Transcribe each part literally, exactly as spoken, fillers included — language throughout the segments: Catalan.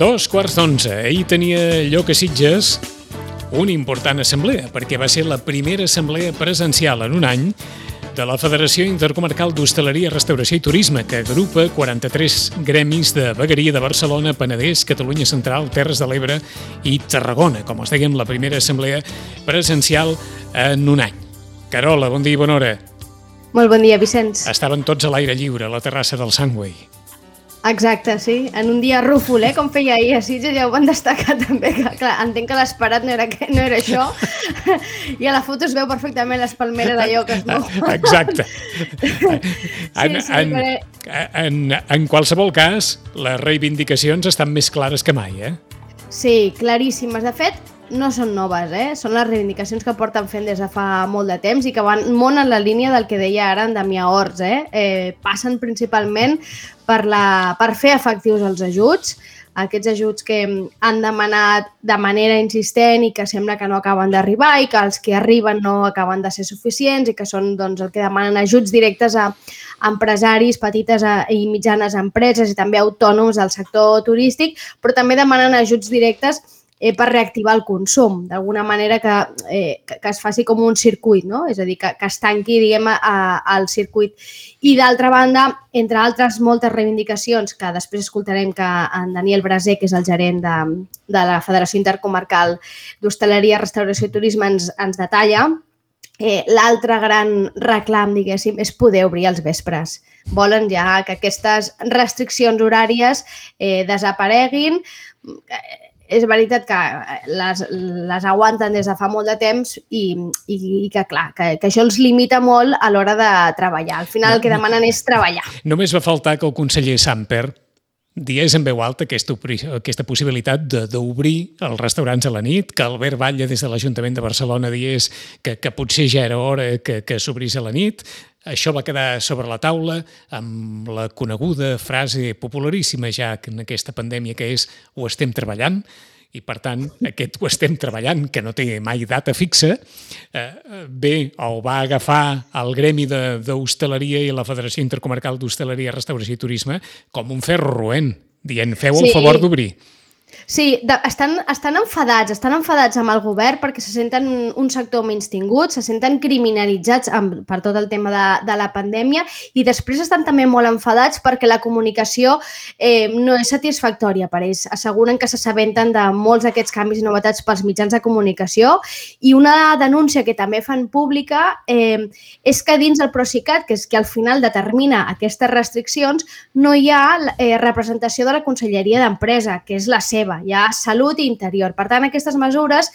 Dos quarts d'onze. Ahir tenia lloc a Sitges una important assemblea, perquè va ser la primera assemblea presencial en un any de la Federació Intercomarcal d'Hostaleria, Restauració i Turisme, que agrupa quaranta-tres gremis de vegueria de Barcelona, Penedès, Catalunya Central, Terres de l'Ebre i Tarragona. Com us dèiem, la primera assemblea presencial en un any. Carola, bon dia i bona hora. Molt bon dia, Vicenç. Estaven tots a l'aire lliure, a la terrassa del Sunway. Exacte, sí. En un dia rúfol, eh? Com feia ahir a Sitges, ja ho van destacar també. Que, clar, entenc que l'esperat no, era, no era això. I a la foto es veu perfectament les palmeres allò que es mou. Exacte. En, sí, sí, en, però... en, en qualsevol cas, les reivindicacions estan més clares que mai, eh? Sí, claríssimes. De fet, no són noves, eh? Són les reivindicacions que porten fent des de fa molt de temps i que van molt en la línia del que deia ara en Damià Orts, eh? eh passen principalment per, la, per fer efectius els ajuts, aquests ajuts que han demanat de manera insistent i que sembla que no acaben d'arribar i que els que arriben no acaben de ser suficients i que són doncs, el que demanen ajuts directes a empresaris, petites i mitjanes empreses i també autònoms del sector turístic, però també demanen ajuts directes eh, per reactivar el consum, d'alguna manera que, eh, que, que es faci com un circuit, no? És a dir, que, que es tanqui, diguem, al circuit. I d'altra banda, entre altres moltes reivindicacions, que després escoltarem que en Daniel Braser, que és el gerent de, de la Federació Intercomarcal d'Hostaleria, Restauració i Turisme, ens, ens detalla, eh, l'altre gran reclam, diguéssim, és poder obrir els vespres. Volen ja que aquestes restriccions horàries eh, desapareguin. És veritat que les, les aguanten des de fa molt de temps i, i, i que, clar, que, que això els limita molt a l'hora de treballar. Al final el que demanen és treballar. Només va faltar que el conseller Samper digués en veu alta aquesta, aquesta possibilitat d'obrir els restaurants a la nit, que Albert Batlle des de l'Ajuntament de Barcelona digués que, que potser ja era hora que, que s'obrís a la nit. Això va quedar sobre la taula amb la coneguda frase popularíssima ja en aquesta pandèmia que és ho estem treballant i, per tant, aquest ho estem treballant, que no té mai data fixa, eh, bé, o va agafar el gremi d'hostaleria i la Federació Intercomarcal d'Hostaleria, Restauració i Turisme com un ferro roent, dient feu el sí. favor d'obrir. Sí, de, estan, estan enfadats, estan enfadats amb el govern perquè se senten un sector menystingut, se senten criminalitzats amb, per tot el tema de, de la pandèmia i després estan també molt enfadats perquè la comunicació eh, no és satisfactòria per ells. Asseguren que s'assabenten de molts d'aquests canvis i novetats pels mitjans de comunicació i una denúncia que també fan pública eh, és que dins el Procicat, que és que al final determina aquestes restriccions, no hi ha eh, representació de la Conselleria d'Empresa, que és la seva. Hi ha salut i interior. Per tant, aquestes mesures,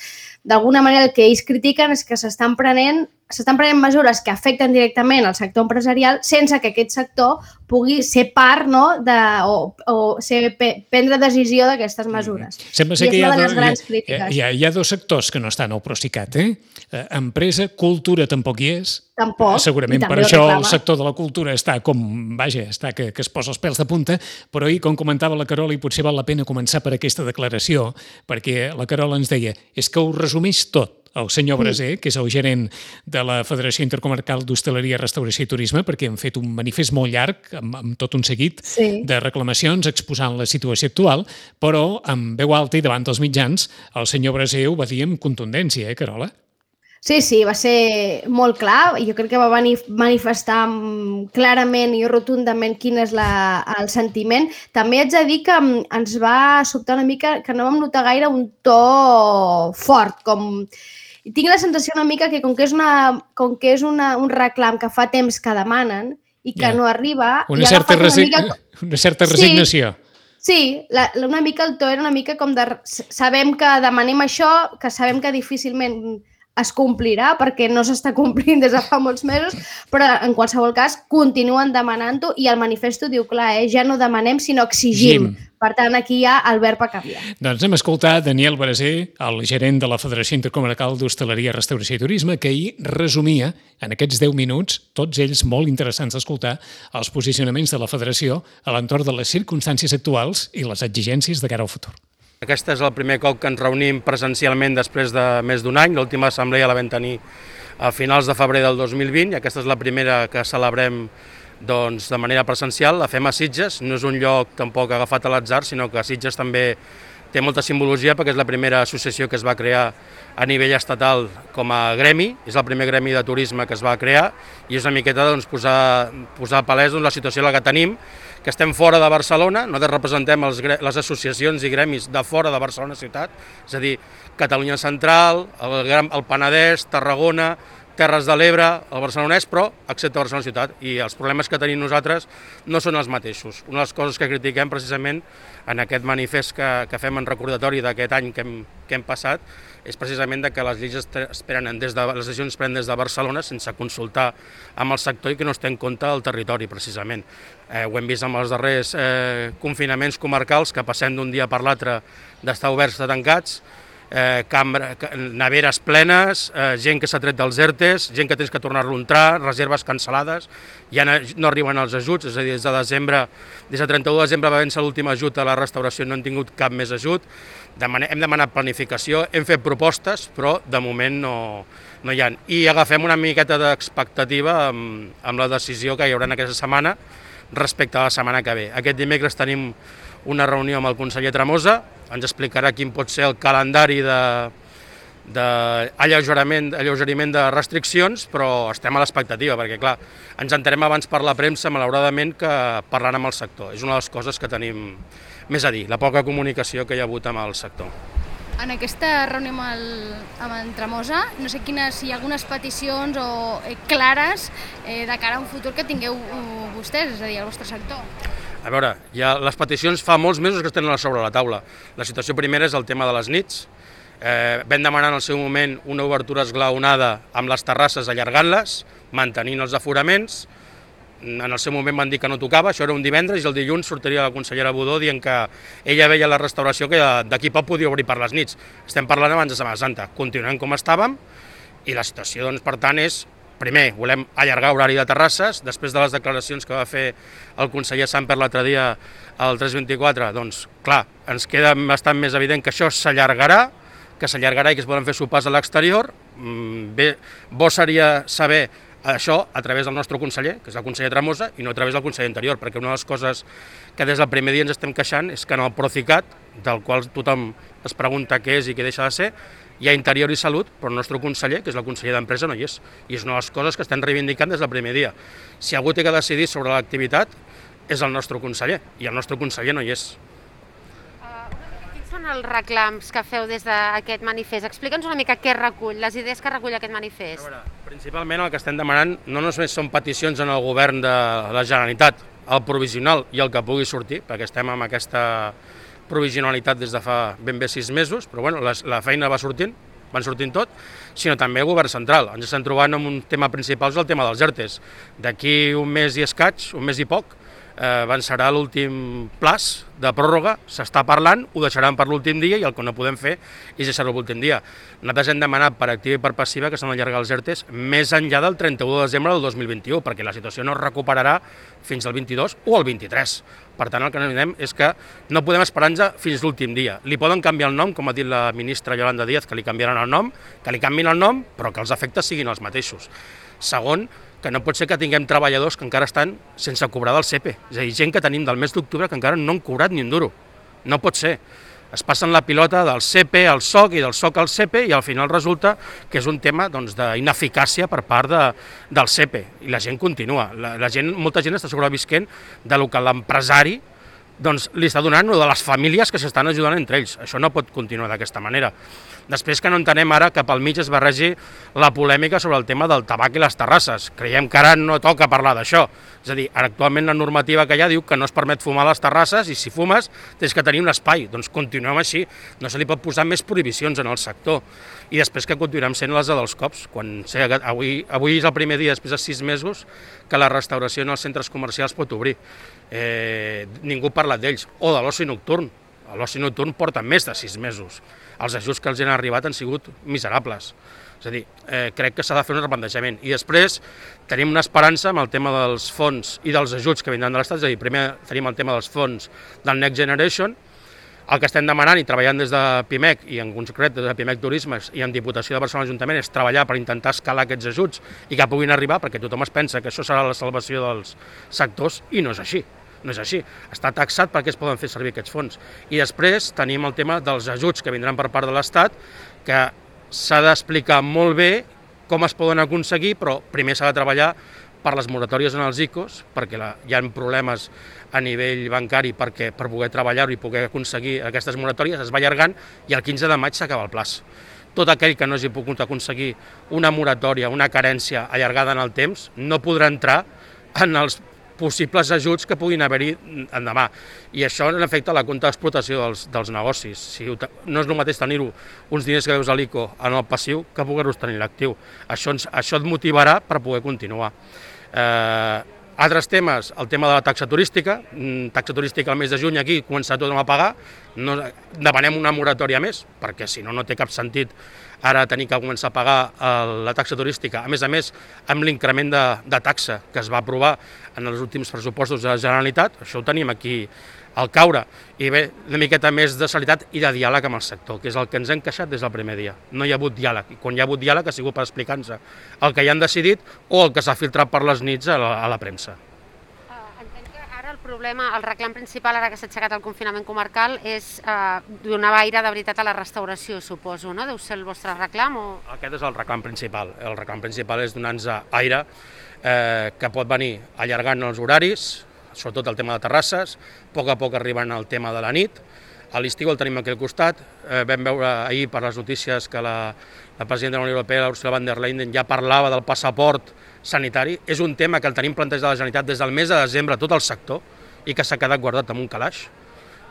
d'alguna manera, el que ells critiquen és que s'estan prenent, s'estan prenent mesures que afecten directament al sector empresarial sense que aquest sector pugui ser part, no, de, o, o ser, prendre decisió d'aquestes mesures. Mm. Sembla ser I que hi ha, do, hi, ha, hi, ha, hi ha dos sectors que no estan al Procicat, eh? Empresa, cultura tampoc hi és. Tampoc. Segurament per això el sector de la cultura està com, vaja, està que, que es posa els pèls de punta, però ahir, com comentava la Carola, i potser val la pena començar per aquesta declaració, perquè la Carola ens deia, és que ho resumeix tot. El senyor Braser, que és el gerent de la Federació Intercomarcal d'Hostaleria, Restauració i Turisme, perquè han fet un manifest molt llarg, amb, amb tot un seguit sí. de reclamacions exposant la situació actual, però amb veu alta i davant dels mitjans, el senyor Braser ho va dir amb contundència, eh, Carola? Sí, sí, va ser molt clar. Jo crec que va manifestar clarament i rotundament quin és la, el sentiment. També haig de dir que ens va sobtar una mica, que no vam notar gaire un to fort, com... Tinc la sensació una mica que com que és, una, com que és una, un reclam que fa temps que demanen i que yeah. no arriba... Una, certa, una, mica... una certa resignació. Sí, sí la, una mica el to era una mica com de... Sabem que demanem això, que sabem que difícilment es complirà perquè no s'està complint des de fa molts mesos, però en qualsevol cas continuen demanant-ho i el manifesto diu clar, eh, ja no demanem sinó exigim. Gim. Per tant, aquí hi ha el verb a canviar. Doncs hem escoltat Daniel Braser, el gerent de la Federació Intercomarcal d'Hostaleria, Restauració i Turisme, que ahir resumia en aquests deu minuts, tots ells molt interessants d'escoltar, els posicionaments de la Federació a l'entorn de les circumstàncies actuals i les exigències de cara al futur. Aquest és el primer cop que ens reunim presencialment després de més d'un any. L'última assemblea la vam tenir a finals de febrer del dos mil vint i aquesta és la primera que celebrem doncs, de manera presencial. La fem a Sitges, no és un lloc tampoc agafat a l'atzar, sinó que Sitges també té molta simbologia perquè és la primera associació que es va crear a nivell estatal com a gremi, és el primer gremi de turisme que es va crear i és una miqueta doncs, posar, posar palès doncs, la situació en la que tenim, que estem fora de Barcelona, nosaltres representem els, les associacions i gremis de fora de Barcelona ciutat, és a dir, Catalunya Central, el, el Penedès, Tarragona, Terres de l'Ebre, el barcelonès, però excepte Barcelona ciutat, i els problemes que tenim nosaltres no són els mateixos. Una de les coses que critiquem precisament en aquest manifest que, que fem en recordatori d'aquest any que hem, que hem passat és precisament que les lleis es prenen des de, les decisions es prenen des de Barcelona sense consultar amb el sector i que no es té en compte el territori, precisament. Eh, ho hem vist amb els darrers eh, confinaments comarcals, que passem d'un dia per l'altre d'estar oberts a tancats, Eh, cambra, neveres plenes, eh, gent que s'ha tret dels ERTEs, gent que tens que tornar-lo a entrar, reserves cancel·lades, ja no arriben els ajuts, és a dir, des de desembre, des de trenta-u de desembre va vèncer l'últim ajut a la restauració, no han tingut cap més ajut, Demane, hem demanat planificació, hem fet propostes, però de moment no, no hi ha. I agafem una miqueta d'expectativa amb, amb la decisió que hi haurà aquesta setmana respecte a la setmana que ve. Aquest dimecres tenim una reunió amb el conseller Tremosa, ens explicarà quin pot ser el calendari d'alleugeriment de restriccions, però estem a l'expectativa, perquè clar, ens enterem abans per la premsa, malauradament, que parlant amb el sector. És una de les coses que tenim més a dir, la poca comunicació que hi ha hagut amb el sector. En aquesta reunió amb, el, amb en Tremosa, no sé quines, si hi ha algunes peticions o eh, clares eh, de cara a un futur que tingueu uh, vostès, és a dir, el vostre sector. A veure, ja les peticions fa molts mesos que estan sobre la taula. La situació primera és el tema de les nits. Eh, vam demanar en el seu moment una obertura esglaonada amb les terrasses allargant-les, mantenint els aforaments. En el seu moment van dir que no tocava, això era un divendres, i el dilluns sortiria la consellera Budó dient que ella veia la restauració que d'aquí poc podia obrir per les nits. Estem parlant abans de Setmana Santa. Continuem com estàvem i la situació, doncs, per tant, és primer, volem allargar horari de terrasses, després de les declaracions que va fer el conseller Samper l'altre dia al tres vint-i-quatre, doncs, clar, ens queda bastant més evident que això s'allargarà, que s'allargarà i que es poden fer sopars a l'exterior. Bé, bo seria saber això a través del nostre conseller, que és el conseller Tremosa, i no a través del conseller Interior, perquè una de les coses que des del primer dia ens estem queixant és que en el Procicat, del qual tothom es pregunta què és i què deixa de ser, hi ha Interior i Salut, però el nostre conseller, que és el conseller d'Empresa, no hi és. I és una de les coses que estem reivindicant des del primer dia. Si algú té que decidir sobre l'activitat, és el nostre conseller, i el nostre conseller no hi és. Quins són els reclams que feu des d'aquest manifest? Explica'ns una mica què recull, les idees que recull aquest manifest. A veure, principalment el que estem demanant no només són peticions en el govern de la Generalitat, el provisional i el que pugui sortir, perquè estem amb aquesta provisionalitat des de fa ben bé sis mesos, però bueno, la, la feina va sortint, van sortint tot, sinó també el govern central. Ens estem trobant amb un tema principal, és el tema dels ERTEs. D'aquí un mes i escaig, un mes i poc, eh, avançarà l'últim plaç de pròrroga, s'està parlant, ho deixaran per l'últim dia i el que no podem fer és deixar-ho l'últim dia. Nosaltres hem demanat per activa i per passiva que s'han d'allargar els ERTEs més enllà del trenta-u de desembre del dos mil vint-i-u, perquè la situació no es recuperarà fins al vint-i-dos o al vint-i-tres. Per tant, el que diem és que no podem esperar-nos fins l'últim dia. Li poden canviar el nom, com ha dit la ministra Yolanda Díaz, que li canviaran el nom, que li canviïn el nom, però que els efectes siguin els mateixos. Segon, que no pot ser que tinguem treballadors que encara estan sense cobrar del C E P E. És a dir, gent que tenim del mes d'octubre que encara no han cobrat ni un duro. No pot ser. Es passen la pilota del C E P E al S O C i del S O C al C E P E i al final resulta que és un tema doncs, d'ineficàcia per part de, del C E P E. I la gent continua. La, la gent, molta gent està sobrevisquent de lo que l'empresari doncs, li està donant o de les famílies que s'estan ajudant entre ells. Això no pot continuar d'aquesta manera. Després que no entenem ara que pel mig es barregi la polèmica sobre el tema del tabac i les terrasses. Creiem que ara no toca parlar d'això. És a dir, actualment la normativa que hi ha diu que no es permet fumar a les terrasses i si fumes tens que tenir un espai. Doncs continuem així, no se li pot posar més prohibicions en el sector. I després que continuem sent les dels cops. Quan, sé, avui, avui és el primer dia, després de sis mesos, que la restauració en els centres comercials pot obrir. Eh, ningú ha parlat d'ells. O de l'oci nocturn. L'oci nocturn porta més de sis mesos. Els ajuts que els han arribat han sigut miserables. És a dir, eh, crec que s'ha de fer un replantejament. I després tenim una esperança amb el tema dels fons i dels ajuts que vindran de l'Estat. És a dir, primer tenim el tema dels fons del Next Generation. El que estem demanant i treballant des de Pimec, i en concret des de Pimec Turismes i en Diputació de Barcelona Ajuntament, és treballar per intentar escalar aquests ajuts i que puguin arribar, perquè tothom es pensa que això serà la salvació dels sectors, i no és així. No és així. Està taxat perquè es poden fer servir aquests fons. I després tenim el tema dels ajuts que vindran per part de l'Estat, que s'ha d'explicar molt bé com es poden aconseguir, però primer s'ha de treballar per les moratòries en els I C Os, perquè la, hi ha problemes a nivell bancari perquè per poder treballar-ho i poder aconseguir aquestes moratòries es va allargant i el quinze de maig s'acaba el plaç. Tot aquell que no hagi pogut aconseguir una moratòria, una carència allargada en el temps, no podrà entrar en els possibles ajuts que puguin haver-hi endemà. I això en efecte la compte d'explotació dels, dels negocis. Si no és el mateix tenir-ho uns diners que veus a l'I C O en el passiu que poder-los tenir l'actiu. Això, ens, això et motivarà per poder continuar. Eh, altres temes, el tema de la taxa turística. Taxa turística al mes de juny aquí començar tothom a pagar. No, demanem una moratòria més, perquè si no, no té cap sentit ara tenir que començar a pagar la taxa turística. A més a més, amb l'increment de, de taxa que es va aprovar en els últims pressupostos de la Generalitat, això ho tenim aquí al caure. I bé, una miqueta més de celeritat i de diàleg amb el sector, que és el que ens hem queixat des del primer dia. No hi ha hagut diàleg. I quan hi ha hagut diàleg ha sigut per explicar-nos el que hi han decidit o el que s'ha filtrat per les nits a la, a la premsa. El problema, el reclam principal, ara que s'ha aixecat el confinament comarcal, és eh, donar aire de veritat a la restauració, suposo, no? Deu ser el vostre reclam? O... Aquest és el reclam principal. El reclam principal és donar-nos aire eh, que pot venir allargant els horaris, sobretot el tema de terrasses, a poc a poc arribant al tema de la nit. A l'estiu el tenim aquí al costat. Eh, vam veure ahir per les notícies que la, la presidenta de la Unió Europea, Ursula von der Leyen, ja parlava del passaport sanitari. És un tema que el tenim plantejat a la Generalitat des del mes de desembre, tot el sector, i que s'ha quedat guardat en un calaix.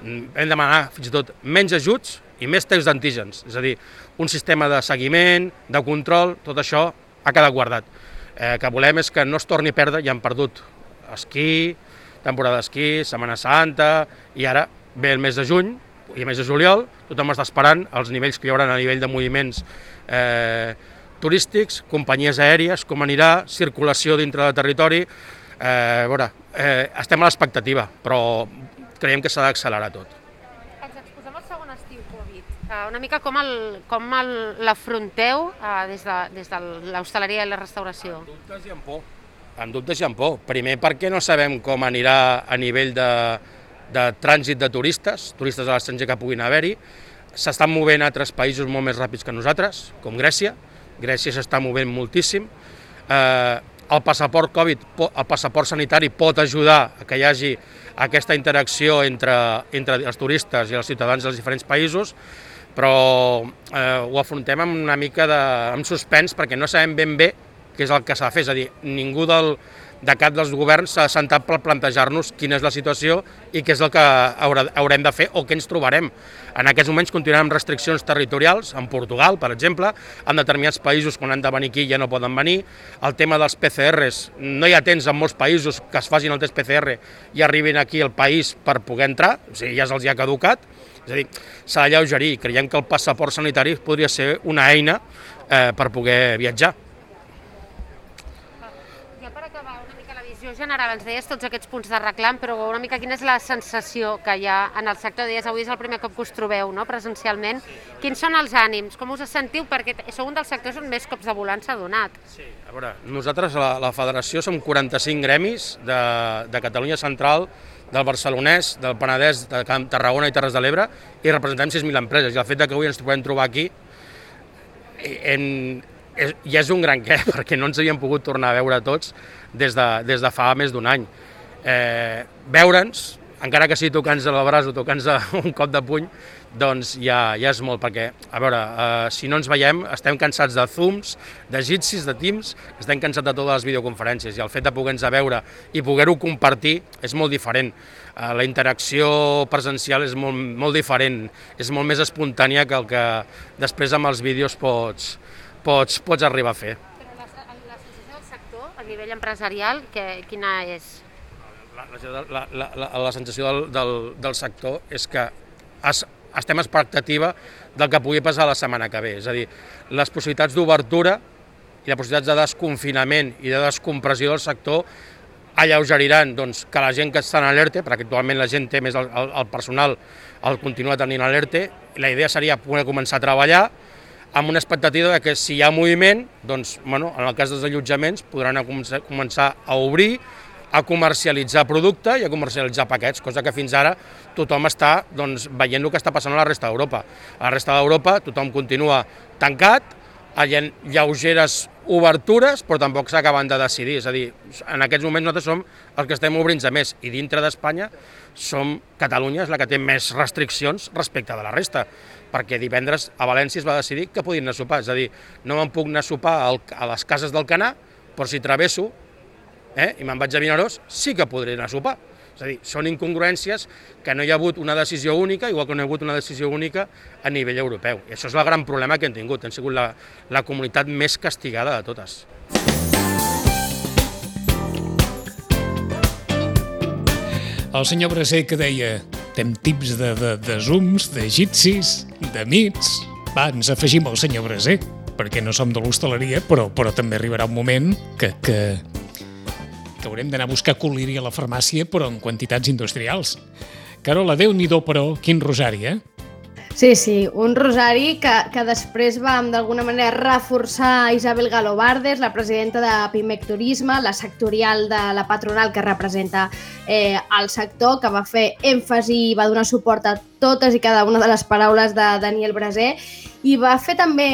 Hem demanat fins i tot menys ajuts i més tests d'antígens, és a dir, un sistema de seguiment, de control, tot això ha quedat guardat. El eh, que volem és que no es torni a perdre, ja han perdut esquí, temporada d'esquí, Setmana Santa, i ara ve el mes de juny i el mes de juliol, tothom està esperant els nivells que hi haurà a nivell de moviments eh, turístics, companyies aèries, com anirà, circulació dintre del territori. Eh, a veure, eh, estem a l'expectativa, però creiem que s'ha d'accelerar tot. Ens exposem al segon estiu Covid. Uh, una mica com l'afronteu uh, des de, des de l'hostaleria i la restauració? En dubtes i amb por. En dubtes i amb por. Primer perquè no sabem com anirà a nivell de, de trànsit de turistes, turistes a l'estranger que puguin haver-hi. S'estan movent altres països molt més ràpids que nosaltres, com Grècia. Grècia s'està movent moltíssim. Eh, el passaport Covid, el passaport sanitari pot ajudar a que hi hagi aquesta interacció entre, entre els turistes i els ciutadans dels diferents països, però eh, ho afrontem amb una mica de amb suspens perquè no sabem ben bé què és el que s'ha de fer. És a dir, ningú del, de cap dels governs s'ha assentat per plantejar-nos quina és la situació i què és el que haurà, haurem de fer o què ens trobarem. En aquests moments continuem amb restriccions territorials, en Portugal, per exemple, en determinats països quan han de venir aquí ja no poden venir. El tema dels P C Rs, no hi ha temps en molts països que es facin el test P C R i arribin aquí al país per poder entrar, o sigui, ja se'ls ha caducat. És a dir, s'ha d'alleugerir i creiem que el passaport sanitari podria ser una eina eh, per poder viatjar. General, ens deies tots aquests punts de reclam, però una mica quina és la sensació que hi ha en el sector? Deies, avui és el primer cop que us trobeu, no?, presencialment. Quins són els ànims? Com us sentiu? Perquè sou un dels sectors on més cops de volant s'ha donat. Sí, a veure, nosaltres, la, la federació, som quaranta-cinc gremis de, de Catalunya Central, del Barcelonès, del Penedès, de Tarragona i Terres de l'Ebre, i representem sis mil empreses. I el fet que avui ens podem trobar aquí en, és, ja és un gran què, perquè no ens havíem pogut tornar a veure tots des de, des de fa més d'un any. Eh, veure'ns, encara que sigui tocant-nos el braç o tocant-nos un cop de puny, doncs ja, ja és molt, perquè, a veure, eh, si no ens veiem, estem cansats de Zooms, de Jitsis, de Teams, estem cansats de totes les videoconferències, i el fet de poder-nos veure i poder-ho compartir és molt diferent. Eh, la interacció presencial és molt, molt diferent, és molt més espontània que el que després amb els vídeos pots, pots, pots arribar a fer. A nivell empresarial, que, quina és? La, la, la, la, la sensació del, del, del sector és que es, estem a expectativa del que pugui passar la setmana que ve. És a dir, les possibilitats d'obertura i les possibilitats de desconfinament i de descompressió del sector alleugeriran doncs, que la gent que està en l'ERTE, perquè actualment la gent té més el, el, el personal, el continua tenint a l'ERTE, la idea seria poder començar a treballar amb una expectativa de que si hi ha moviment, doncs, bueno, en el cas dels allotjaments, podran començar a obrir, a comercialitzar producte i a comercialitzar paquets, cosa que fins ara tothom està doncs, veient el que està passant a la resta d'Europa. A la resta d'Europa tothom continua tancat, hi ha lleugeres obertures, però tampoc s'acaben de decidir. És a dir, en aquests moments nosaltres som els que estem obrint-se més i dintre d'Espanya som Catalunya és la que té més restriccions respecte de la resta, perquè divendres a València es va decidir que podien anar a sopar. És a dir, no me'n puc anar a sopar a les cases del Canà, però si travesso eh, i me'n vaig a Vinaròs, sí que podré anar a sopar. És a dir, són incongruències que no hi ha hagut una decisió única, igual que no hi ha hagut una decisió única a nivell europeu. I això és el gran problema que hem tingut, hem sigut la, la comunitat més castigada de totes. El senyor Braser que deia tem tips de, de, de zooms, d'egipcis, de mits. Va, ens afegim al senyor Braser, perquè no som de l'hostaleria, però, però també arribarà un moment que, que, que haurem d'anar a buscar col·liri a la farmàcia, però en quantitats industrials. Carola, Déu-n'hi-do, però, quin rosari, eh? Sí, sí, un rosari que, que després vam d'alguna manera reforçar Isabel Galobardes, la presidenta de Pimec Turisme, la sectorial de la patronal que representa eh, el sector, que va fer èmfasi i va donar suport a totes i cada una de les paraules de Daniel Braser i va fer també,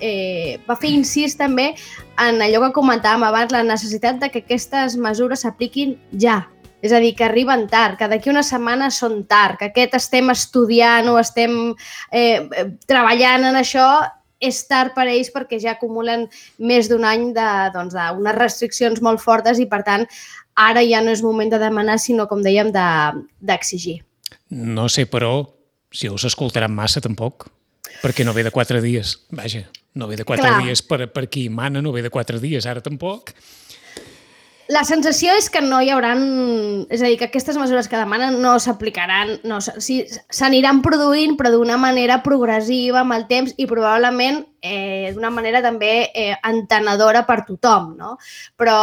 eh, va fer incís també en allò que comentàvem abans, la necessitat de que aquestes mesures s'apliquin ja. És a dir, que arriben tard, que d'aquí una setmana són tard, que aquest estem estudiant o estem eh, treballant en això, és tard per a ells perquè ja acumulen més d'un any de, doncs, d'unes restriccions molt fortes i, per tant, ara ja no és moment de demanar, sinó, com dèiem, de, d'exigir. No sé, però, si us escoltaran massa, tampoc, perquè no ve de quatre dies. Vaja, no ve de quatre Clar. dies per, per qui mana, no ve de quatre dies, ara tampoc. La sensació és que no hi haurà... És a dir, que aquestes mesures que demanen no s'aplicaran, no, sí, s'aniran produint, però d'una manera progressiva amb el temps i probablement eh, d'una manera també eh, entenedora per tothom, no? Però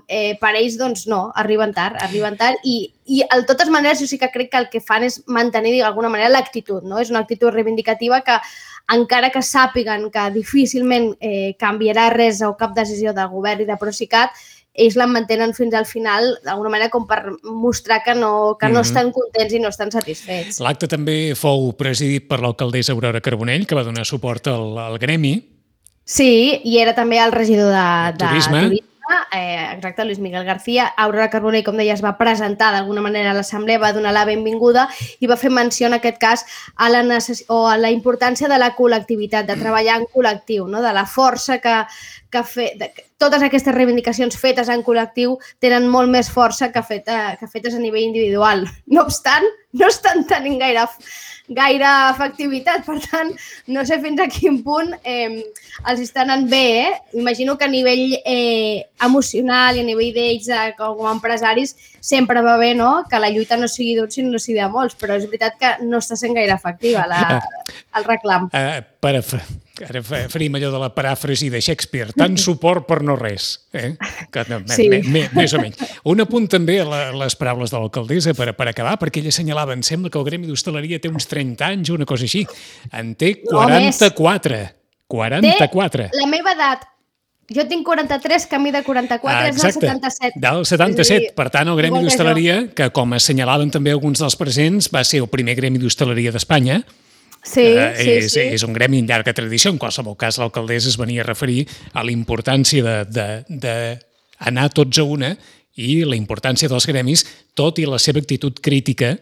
eh, per ells, doncs, no, arriben tard, arriben tard i, i de totes maneres jo sí que crec que el que fan és mantenir d'alguna manera l'actitud, no? És una actitud reivindicativa que encara que sàpiguen que difícilment eh, canviarà res o cap decisió del govern i de Procicat, ells la mantenen fins al final, d'alguna manera com per mostrar que no, que no Mm-hmm. estan contents i no estan satisfets. L'acte també fou presidit per l'alcaldessa Aurora Carbonell, que va donar suport al, al gremi. Sí, i era també el regidor de, de Turisme. turisme, eh, exacte, Luis Miguel García. Aurora Carbonell, com deia, es va presentar d'alguna manera a l'assemblea, va donar la benvinguda i va fer menció en aquest cas a la, necess... o a la importància de la col·lectivitat, de treballar en col·lectiu, no? De la força que, que fe... de... totes aquestes reivindicacions fetes en col·lectiu tenen molt més força que, feta, que fetes a nivell individual. No obstant, no estan tenint gaire, gaire efectivitat, per tant, no sé fins a quin punt eh, els està anant bé, eh? Imagino que a nivell eh, emocional i a nivell d'ells eh, com a empresaris sempre va bé, no?, que la lluita no sigui d'un sinó sigui de molts, però és veritat que no està sent gaire efectiva la, el reclam. Uh, per, ara faríem allò de la paràfrasi de Shakespeare, tant suport per no res. Eh? Que, no, Sí. me, me, més o menys. Un apunt també a la, les paraules de l'alcaldessa per, per acabar, perquè ella assenyalava, em sembla que el gremi d'hostaleria té uns trenta anys, una cosa així. En té quaranta-quatre. quaranta-quatre. Té la meva edat. Jo tinc quaranta-tres, camí de quaranta-quatre, Ah, és del exacte, setanta-set. del setanta-set. És a dir, Per tant, el gremi igual que d'hostaleria, que com assenyalaven també alguns dels presents, va ser el primer gremi d'hostaleria d'Espanya. Sí, Eh, sí, és, sí. és un gremi amb llarga tradició. En qualsevol cas, l'alcaldessa es venia a referir a la importància de, de, de anar tots a una i la importància dels gremis, tot i la seva actitud crítica,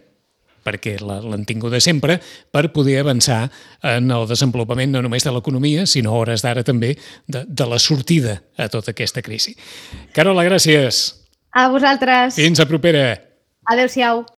perquè l'han tingut de sempre, per poder avançar en el desenvolupament no només de l'economia, sinó a hores d'ara també de, de la sortida a tota aquesta crisi. Carola, gràcies. A vosaltres. Fins a propera. Adéu-siau.